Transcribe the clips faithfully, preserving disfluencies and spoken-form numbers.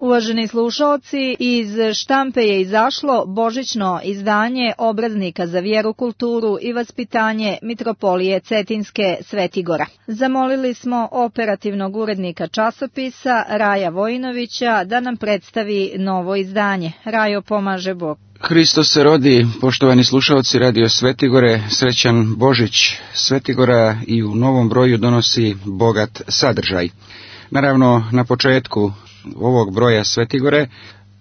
Uvaženi slušalci, iz štampe je izašlo božićno izdanje obraznika za vjeru, kulturu i vaspitanje Mitropolije Cetinske Svetigora. Zamolili smo operativnog urednika časopisa Raja Vojinovića da nam predstavi novo izdanje. Rajo, pomaže Bog. Hristos se rodi, poštovani slušalci Radio Svetigore, srećan Božić. Svetigora i u novom broju donosi bogat sadržaj. Naravno, na početku ovog broja Svetigore,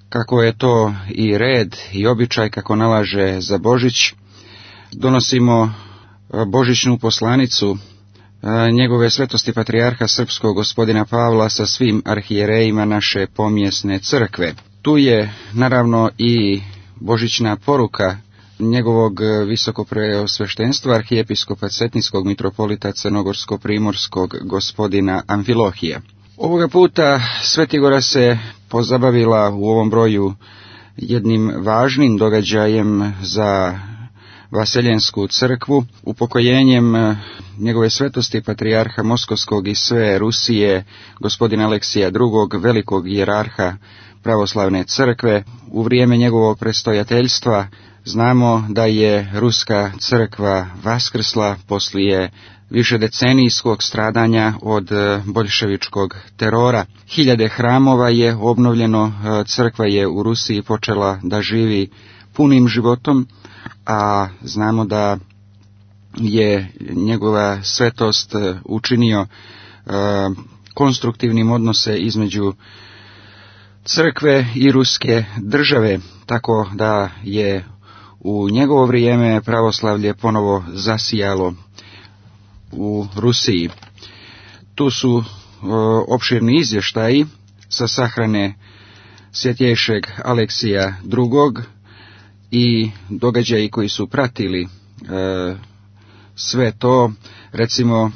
kako je to i red i običaj kako nalaže za Božić, donosimo božićnu poslanicu njegove svetosti patrijarha srpskog gospodina Pavla sa svim arhijerejima naše pomjesne crkve. Tu je naravno i božićna poruka njegovog visokopreosveštenstva arhijepiskopa Cetinskog mitropolita Crnogorsko-primorskog gospodina Amfilohija. Ovoga puta Svetigora se pozabavila u ovom broju jednim važnim događajem za Vaseljensku crkvu, upokojenjem njegove svetosti patrijarha Moskovskog i sve Rusije, gospodina Aleksija drugog, velikog hijerarha pravoslavne crkve. U vrijeme njegovog prestojateljstva znamo da je Ruska crkva vaskrsla poslije višedecenijskog stradanja od boljševičkog terora. Hiljade hramova je obnovljeno, crkva je u Rusiji počela da živi punim životom, a znamo da je njegova svetost učinio konstruktivnim odnose između crkve i ruske države, tako da je u njegovo vrijeme pravoslavlje ponovo zasijalo u Rusiji. Tu su o, opširni izvještaji sa sahrane svjetjejšeg Aleksija drugog i događaji koji su pratili e, sve to, recimo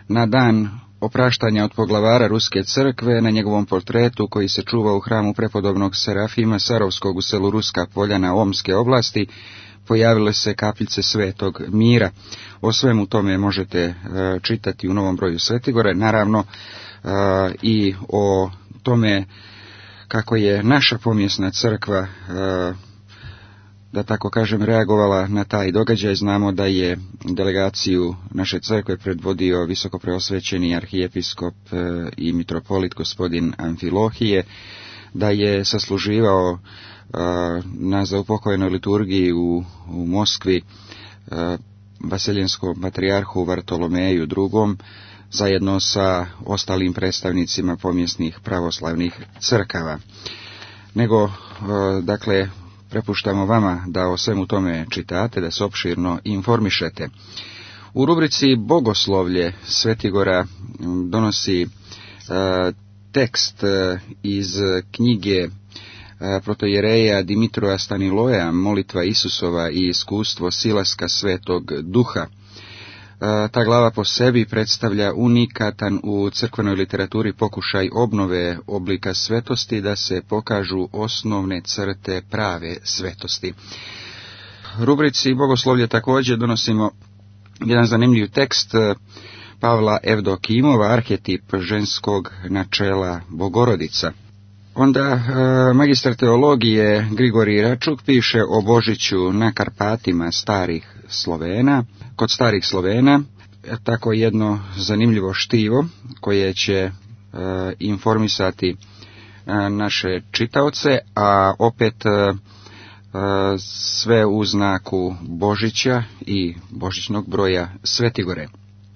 na dan opraštanja od poglavara Ruske crkve, na njegovom portretu koji se čuva u hramu prepodobnog Serafima Sarovskog u selu Ruska Poljana Omske oblasti, pojavile se kapljice Svetog Mira. O svemu tome možete e, čitati u novom broju Svetigore, naravno e, i o tome kako je naša pomjesna crkva, e, da tako kažem, reagovala na taj događaj. Znamo da je delegaciju naše crkve predvodio visokopreosvećeni arhijepiskop e, i mitropolit gospodin Amfilohije, da je sasluživao na zaupokojenoj liturgiji u, u Moskvi Vaseljenskom patrijarhu Vartolomeju drugom zajedno sa ostalim predstavnicima pomjesnih pravoslavnih crkava. Nego, dakle, prepuštamo vama da o svemu tome čitate, da se opširno informišete. U rubrici Bogoslovlje Svetigora donosi tekst iz knjige protojereja Dimitroja Staniloja, Molitva Isusova i iskustvo silaska Svetog Duha. Ta glava po sebi predstavlja unikatan u crkvenoj literaturi pokušaj obnove oblika svetosti, da se pokažu osnovne crte prave svetosti. Rubrici Bogoslovlje također donosimo jedan zanimljiv tekst Pavla Evdokimova, arhetip ženskog načela Bogorodica. Onda magistar teologije Grigorij Račuk piše o Božiću na Karpatima starih Slovena. Kod starih Slovena tako jedno zanimljivo štivo koje će e, informisati e, naše čitaoce, a opet e, sve u znaku Božića i božićnog broja Svetigore.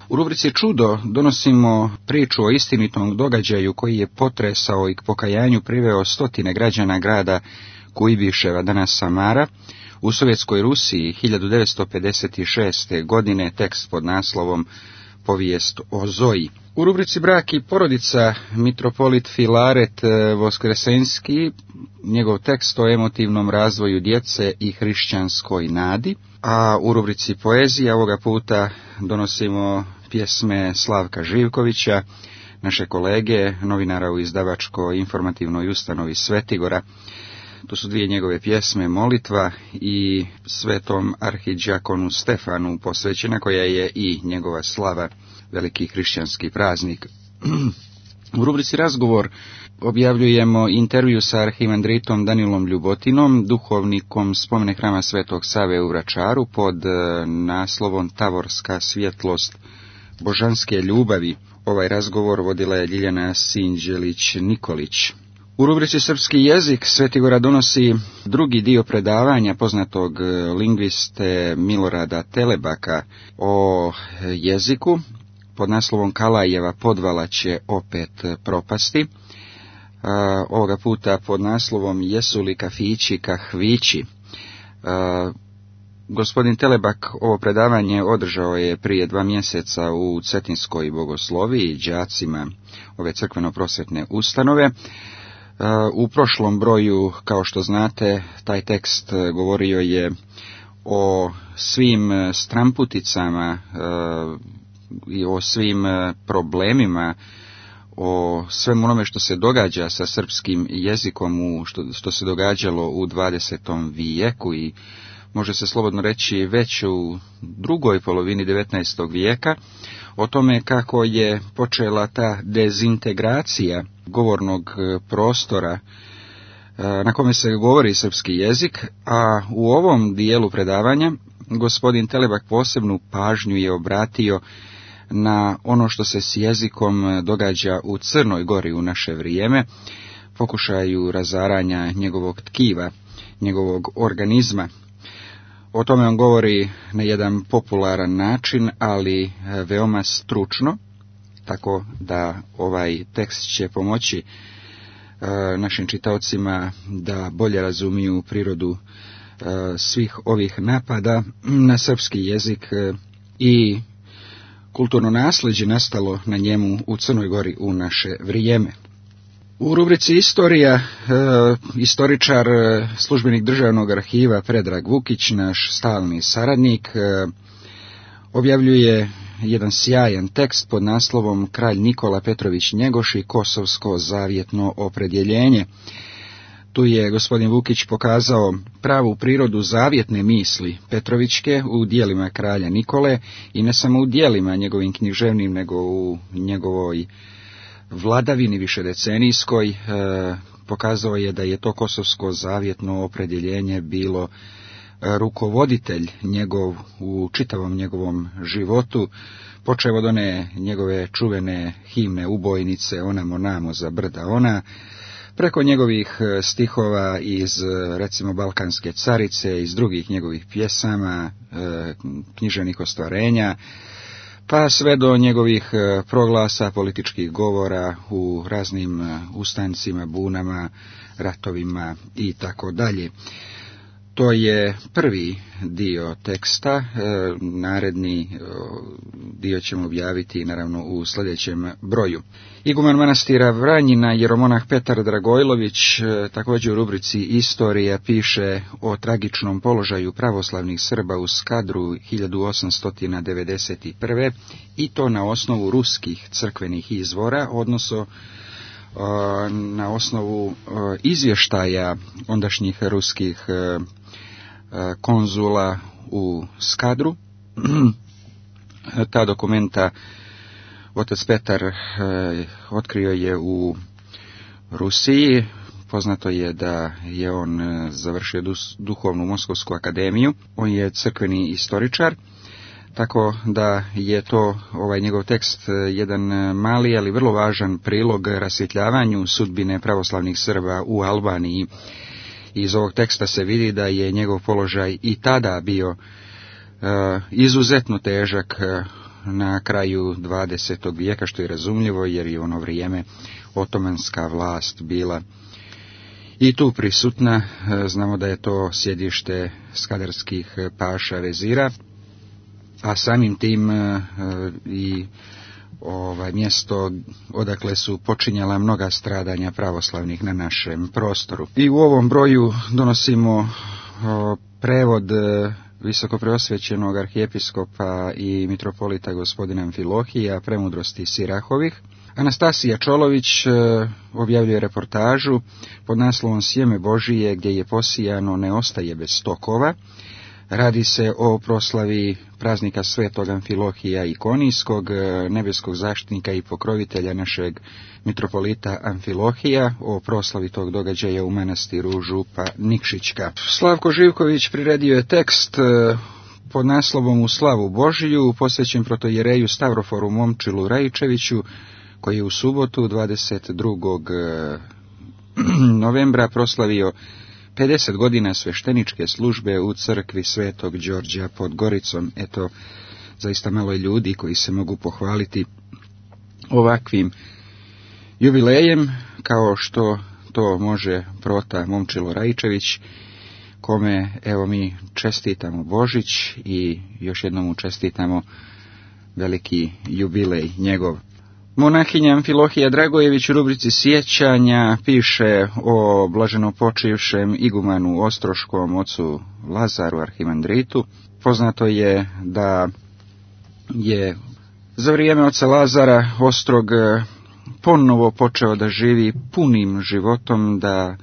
U rubrici Čudo donosimo priču o istinitom događaju koji je potresao i k pokajanju priveo stotine građana grada Kujbiševa, danas Samara, u Sovjetskoj Rusiji hiljadu devetsto pedeset šeste. godine, tekst pod naslovom Povijest o Zoji. U rubrici Brak i porodica mitropolit Filaret Voskresenski, njegov tekst o emotivnom razvoju djece i hrišćanskoj nadi, a u rubrici Poezija ovoga puta donosimo pjesme Slavka Živkovića, naše kolege, novinara u izdavačko-informativnoj ustanovi Svetigora. To su dvije njegove pjesme, Molitva i Svetom arhidžakonu Stefanu posvećena, koja je i njegova slava, veliki hrišćanski praznik. U rubrici Razgovor objavljujemo intervju sa arhimandritom Danilom Ljubotinom, duhovnikom spomene hrama Svetog Save u Vračaru pod naslovom Tavorska svjetlost božanske ljubavi. Ovaj razgovor vodila je Ljiljana Sinđelić-Nikolić. U rubrici Srpski jezik Svetigora donosi drugi dio predavanja poznatog lingviste Milorada Telebaka o jeziku pod naslovom Kalajeva podvala će opet propasti. A, ovoga puta pod naslovom Jesu li kafići kahvići. A, gospodin Telebak ovo predavanje održao je prije dva mjeseca u Cetinskoj bogosloviji đacima ove crkveno-prosvetne ustanove. U prošlom broju, kao što znate, taj tekst govorio je o svim stramputicama i o svim problemima, o svemu onome što se događa sa srpskim jezikom, u što, što se događalo u dvadesetom vijeku i može se slobodno reći već u drugoj polovini devetnaestog vijeka, o tome kako je počela ta dezintegracija govornog prostora na kome se govori srpski jezik, a u ovom dijelu predavanja gospodin Telebak posebnu pažnju je obratio na ono što se s jezikom događa u Crnoj Gori u naše vrijeme, pokušaju razaranja njegovog tkiva, njegovog organizma. O tome on govori na jedan popularan način, ali veoma stručno, tako da ovaj tekst će pomoći e, našim čitaocima da bolje razumiju prirodu e, svih ovih napada na srpski jezik e, i kulturno nasljeđe nastalo na njemu u Crnoj Gori u naše vrijeme. U rubrici Istorija, e, istoričar, e, službenik Državnog arhiva Predrag Vukić, naš stalni saradnik, e, objavljuje jedan sjajan tekst pod naslovom Kralj Nikola Petrović Njegoš i Kosovsko zavjetno opredjeljenje. Tu je gospodin Vukić pokazao pravu prirodu zavjetne misli Petrovićke u dijelima kralja Nikole i ne samo u dijelima njegovim književnim, nego u njegovoj vladavini višedecenijskoj. E, pokazao je da je to kosovsko zavjetno opredjeljenje bilo rukovoditelj njegov u čitavom njegovom životu, počeo od one njegove čuvene himne ubojnice Onamo namo za brda ona, preko njegovih stihova iz, recimo, Balkanske carice, iz drugih njegovih pjesama, književnih ostvarenja, pa sve do njegovih proglasa, političkih govora u raznim ustancima, bunama, ratovima i tako dalje. To je prvi dio teksta, naredni dio ćemo objaviti naravno u sljedećem broju. Iguman manastira Vranjina, jeromonah Petar Dragojlović, također u rubrici Istorija piše o tragičnom položaju pravoslavnih Srba u Skadru hiljadu osamsto devedeset prve. i to na osnovu ruskih crkvenih izvora, odnosno na osnovu izvještaja ondašnjih ruskih konzula u Skadru. Ta dokumenta otac Petar otkrio je u Rusiji. Poznato je da je on završio duhovnu Moskovsku akademiju. On je crkveni istoričar, tako da je to ovaj njegov tekst jedan mali, ali vrlo važan prilog rasvjetljavanju sudbine pravoslavnih Srba u Albaniji. Iz ovog teksta se vidi da je njegov položaj i tada bio uh, izuzetno težak uh, na kraju dvadesetog vijeka, što je razumljivo jer je u ono vrijeme otomanska vlast bila i tu prisutna. Uh, znamo da je to sjedište skadarskih paša vezira, a samim tim uh, i ovaj mjesto odakle su počinjala mnoga stradanja pravoslavnih na našem prostoru. I u ovom broju donosimo o, prevod e, visokopreosvećenog arhijepiskopa i mitropolita gospodina Amfilohija, Premudrosti Sirahovih. Anastasija Čolović e, objavljuje reportažu pod naslovom Sjeme Božije, gdje je posijano ne ostaje bez stokova. Radi se o proslavi praznika Svetog Amfilohija Ikonijskog, nebeskog zaštitnika i pokrovitelja našeg mitropolita Amfilohija, o proslavi tog događaja u manastiru Župa Nikšićka. Slavko Živković priredio je tekst pod naslovom U slavu Božiju, posvećen protojereju Stavroforu Momčilu Rajičeviću, koji je u subotu dvadeset drugog novembra proslavio pedeset godina svešteničke službe u crkvi Svetog Đorđa pod Goricom. Eto, zaista malo je ljudi koji se mogu pohvaliti ovakvim jubilejem, kao što to može prota Momčilo Rajičević, kome evo mi čestitamo Božić i još jednom mu čestitamo veliki jubilej njegov. Monahinja Amfilohija Dragojević u rubrici sjećanja piše o blaženopočivšem igumanu Ostroškom ocu Lazaru Arhimandritu. Poznato je da je za vrijeme oca Lazara Ostrog ponovo počeo da živi punim životom, da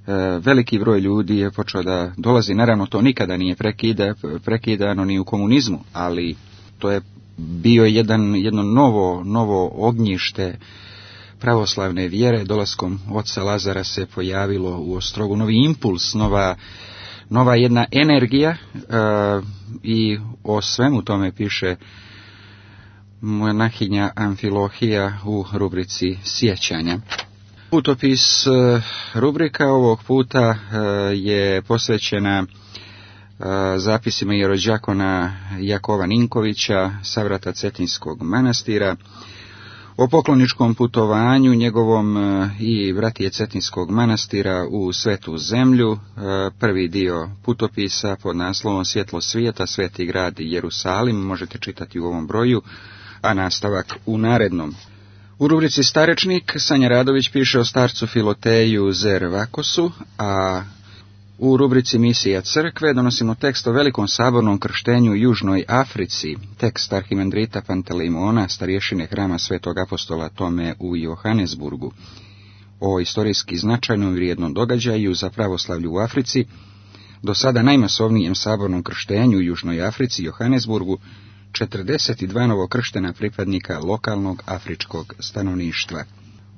e, veliki broj ljudi je počeo da dolazi. Naravno, to nikada nije prekida, prekidano ni u komunizmu, ali to je bio jedan, jedno novo, novo ognjište pravoslavne vjere. Dolaskom oca Lazara se pojavilo u Ostrogu novi impuls, nova, nova jedna energija e, i o svemu tome piše monahinja Amfilohija u rubrici sjećanja. Putopis rubrika ovog puta je posvećena zapisima jerođakona Jakova Ninkovića, savrata Cetinskog manastira, o pokloničkom putovanju njegovom i bratije Cetinskog manastira u Svetu zemlju. Prvi dio putopisa pod naslovom Svjetlo svijeta, Sveti grad Jerusalim možete čitati u ovom broju, a nastavak u narednom. U rubrici Starečnik Sanja Radović piše o starcu Filoteju Zervakosu, a u rubrici Misija crkve donosimo tekst o velikom sabornom krštenju u Južnoj Africi, tekst arhimandrita Panteleimona, starješine hrama Svetog apostola Tome u Johannesburgu, o istorijski značajnom i vrijednom događaju za pravoslavlje u Africi, do sada najmasovnijem sabornom krštenju u Južnoj Africi, Johannesburgu, četrdeset dva novokrštena pripadnika lokalnog afričkog stanovništva.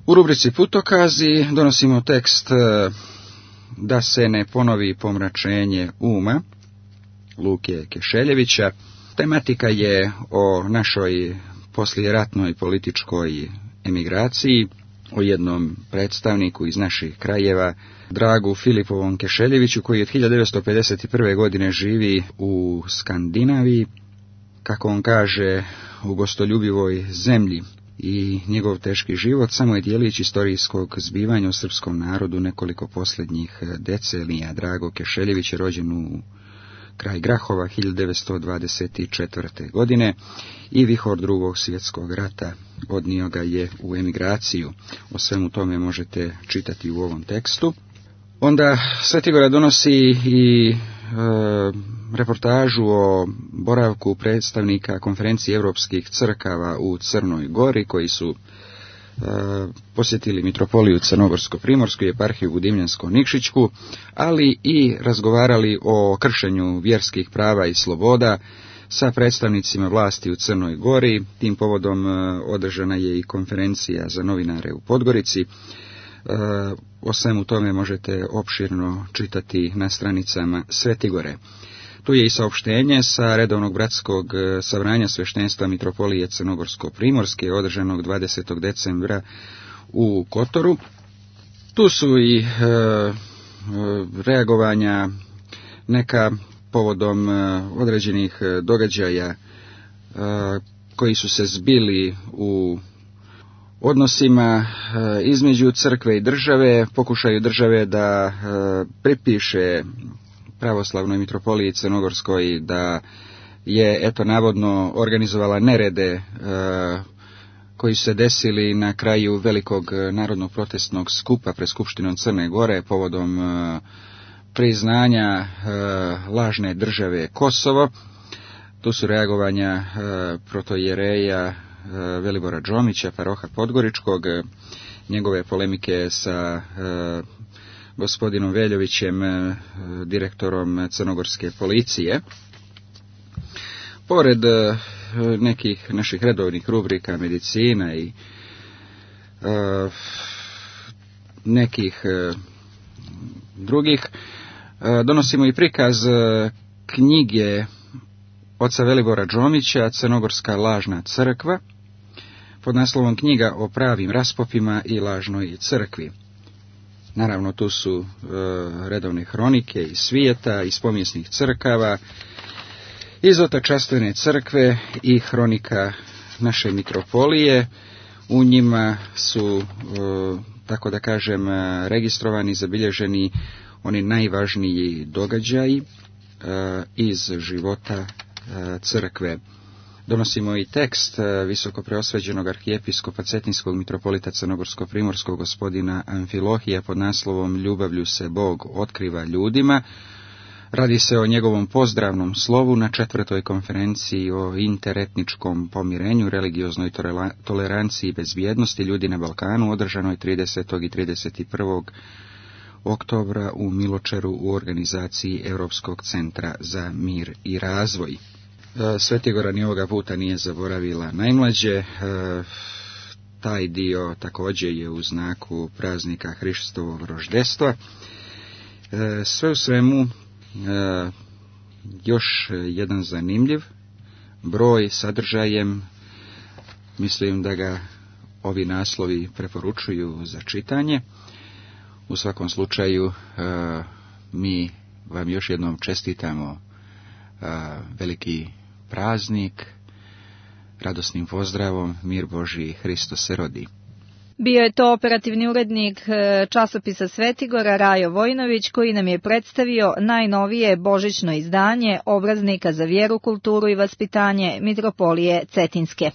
U rubrici Putokazi donosimo tekst Da se ne ponovi pomračenje uma, Luke Kešeljevića. Tematika je o našoj poslijeratnoj političkoj emigraciji, o jednom predstavniku iz naših krajeva, Dragu Filipovom Kešeljeviću, koji od hiljadu devetsto pedeset prve. godine živi u Skandinaviji, kako on kaže, u gostoljubivoj zemlji, i njegov teški život samo je dijelić istorijskog zbivanja u srpskom narodu nekoliko posljednjih decenija. Drago Kešeljević je rođen u kraj Grahova hiljadu devetsto dvadeset četvrte. godine i vihor drugog svjetskog rata odnio ga je u emigraciju. O svemu tome možete čitati u ovom tekstu. Onda Svetigora donosi i e, reportažu o boravku predstavnika konferencije europskih crkava u Crnoj Gori, koji su e, posjetili mitropoliju Crnogorsko-Primorsku i eparhiju Budimljansko-Nikšićku, ali i razgovarali o kršenju vjerskih prava i sloboda sa predstavnicima vlasti u Crnoj Gori. Tim povodom e, održana je i konferencija za novinare u Podgorici. O svemu tome možete opširno čitati na stranicama Svetigore. Tu je i saopštenje sa redovnog bratskog sabranja sveštenstva mitropolije Crnogorsko-Primorske, održanog dvadesetog decembra u Kotoru. Tu su i e, reagovanja neka povodom određenih događaja e, koji su se zbili u odnosima između crkve i države, pokušaju države da pripiše pravoslavnoj mitropoliji Crnogorskoj da je, eto, navodno organizovala nerede koji su se desili na kraju velikog narodnog protestnog skupa pred Skupštinom Crne Gore povodom priznanja lažne države Kosovo. Tu su reagovanja protojereja Velibora Džomića, paroha Podgoričkog, njegove polemike sa gospodinom Veljovićem, direktorom crnogorske policije. Pored nekih naših redovnih rubrika medicina i uh, nekih uh, drugih, uh, donosimo i prikaz uh, knjige oca Velibora Džomića, Crnogorska lažna crkva, pod naslovom Knjiga o pravim raspopima i lažnoj crkvi. Naravno, tu su uh, redovne hronike iz svijeta, iz povijesnih crkava, iz otačastvene crkve i hronika naše mitropolije. U njima su, tako da kažem, registrovani, zabilježeni oni najvažniji događaji iz života crkve. Donosimo i tekst visokopreosvećenog arhijepiskopa Cetinskog mitropolita Crnogorsko-primorskog gospodina Amfilohija pod naslovom Ljubavlju se Bog otkriva ljudima. Radi se o njegovom pozdravnom slovu na četvrtoj konferenciji o interetničkom pomirenju, religioznoj toleranciji i bezbjednosti ljudi na Balkanu, održanoj tridesetog i trideset prvog oktobra u Miločeru u organizaciji Europskog centra za mir i razvoj. Svetigora ni ovoga puta nije zaboravila najmlađe. Taj dio također je u znaku praznika Hristovog roždestva. Sve u svemu, E, još jedan zanimljiv broj sadržajem, mislim da ga ovi naslovi preporučuju za čitanje. U svakom slučaju, e, mi vam još jednom čestitamo e, veliki praznik, radosnim pozdravom, mir Božji, Hristos se rodi. Bio je to operativni urednik časopisa Svetigora Rajo Vojnović, koji nam je predstavio najnovije božićno izdanje obraznika za vjeru, kulturu i vaspitanje Mitropolije Cetinske.